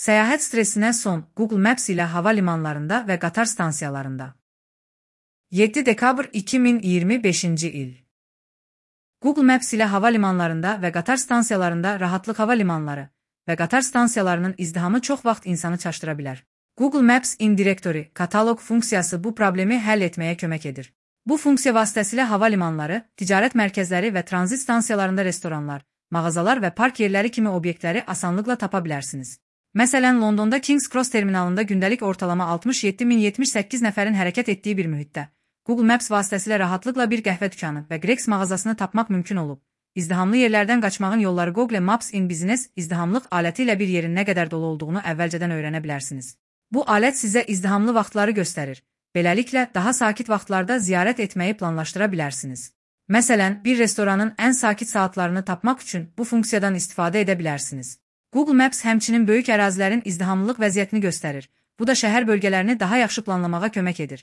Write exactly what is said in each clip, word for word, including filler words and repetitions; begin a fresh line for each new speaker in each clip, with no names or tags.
Səyahət stresinə son Google Maps ilə hava limanlarında və qatar stansiyalarında. yeddi dekabr iki min iyirmi beşinci il. Google Maps ilə hava limanlarında və qatar stansiyalarında rahatlıq hava limanları və qatar stansiyalarının izdihamı çox vaxt insanı çaşdıra bilər. Google Maps in Directory katalog funksiyası bu problemi həll etməyə kömək edir. Bu funksiya vasitəsilə hava limanları, ticarət mərkəzləri və tranzit stansiyalarında restoranlar, mağazalar və park yerləri kimi obyektləri asanlıqla tapa bilərsiniz. Məsələn, Londonda King's Cross terminalında gündəlik ortalama altmış yeddi min yetmiş səkkiz nəfərin hərəkət etdiyi bir mühitdə Google Maps vasitəsilə rahatlıqla bir qəhvə dükanı və Greggs mağazasını tapmaq mümkün olub. İzdihamlı yerlərdən qaçmağın yolları Google Maps in Business izdihamlıq aləti ilə bir yerin nə qədər dolu olduğunu əvvəlcədən öyrənə bilərsiniz. Bu alət sizə izdihamlı vaxtları göstərir. Beləliklə, daha sakit vaxtlarda ziyarət etməyi planlaşdıra bilərsiniz. Məsələn, bir restoranın ən sakit saatlarını tapmaq üçün bu funksiyadan istifadə edə bilərsiniz. Google Maps həmçinin böyük ərazilərin izdihamlılıq vəziyyətini göstərir. Bu da şəhər bölgələrini daha yaxşı planlamağa kömək edir.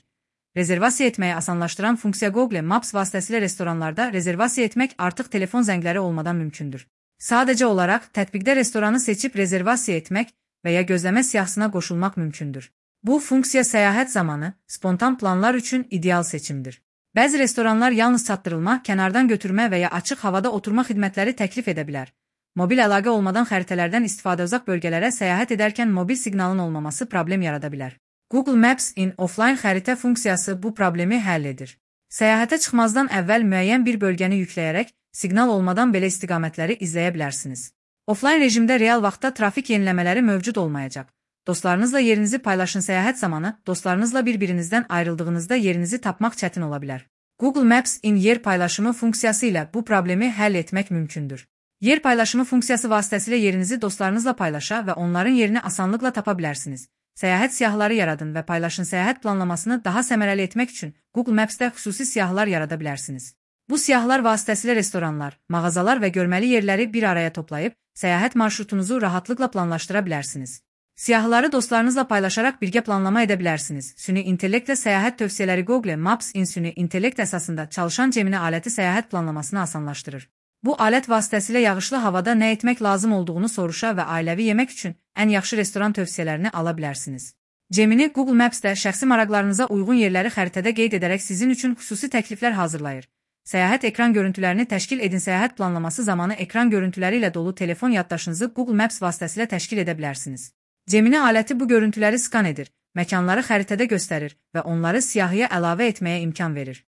Rezervasiya etməyi asanlaşdıran funksiya Google Maps vasitəsilə restoranlarda rezervasiya etmək artıq telefon zəngləri olmadan mümkündür. Sadəcə olaraq tətbiqdə restoranı seçib rezervasiya etmək və ya gözləmə siyahısına qoşulmaq mümkündür. Bu funksiya səyahət zamanı spontan planlar üçün ideal seçimdir. Bəzi restoranlar yalnız çatdırılma, kənardan götürmə və ya açıq havada oturma xidmətləri təklif edə bilər. Mobil əlaqə olmadan xəritələrdən istifadə uzaq bölgələrə səyahət edərkən mobil siqnalın olmaması problem yarada bilər. Google Maps in Offline xəritə funksiyası bu problemi həll edir. Səyahətə çıxmazdan əvvəl müəyyən bir bölgəni yükləyərək siqnal olmadan belə istiqamətləri izləyə bilərsiniz. Offline rejimdə real vaxtda trafik yeniləmələri mövcud olmayacaq. Dostlarınızla yerinizi paylaşın. Səyahət zamanı dostlarınızla bir-birinizdən ayrıldığınızda yerinizi tapmaq çətin ola bilər. Google Maps in yer paylaşımı funksiyası ilə bu problemi həll etmək mümkündür. Yer paylaşımı funksiyası vasitəsilə yerinizi dostlarınızla paylaşa və onların yerini asanlıqla tapa bilərsiniz. Səyahət siyahıları yaradın və paylaşın. Səyahət planlamasını daha səmərəli etmək üçün Google Maps-də xüsusi siyahılar yarada bilərsiniz. Bu siyahılar vasitəsilə restoranlar, mağazalar və görməli yerləri bir araya toplayıb, səyahət marşrutunuzu rahatlıqla planlaşdıra bilərsiniz. Siyahıları dostlarınızla paylaşaraq birgə planlama edə bilərsiniz. Süni intellektlə səyahət tövsiyələri Google Maps in süni intellekt əsasında çalışan Gemini aləti səyahət planlamasını asanlaşdırır. Bu alət vasitəsilə yağışlı havada nə etmək lazım olduğunu soruşa və ailəvi yemək üçün ən yaxşı restoran tövsiyələrini ala bilərsiniz. Gemini Google Maps-də şəxsi maraqlarınıza uyğun yerləri xəritədə qeyd edərək sizin üçün xüsusi təkliflər hazırlayır. Səyahət ekran görüntülərini təşkil edin. Səyahət planlaması zamanı ekran görüntüləri ilə dolu telefon yaddaşınızı Google Maps vasitəsilə təşkil edə bilərsiniz. Gemini aləti bu görüntüləri skan edir, məkanları xəritədə göstərir və onları siyahıya əlavə etməyə imkan verir.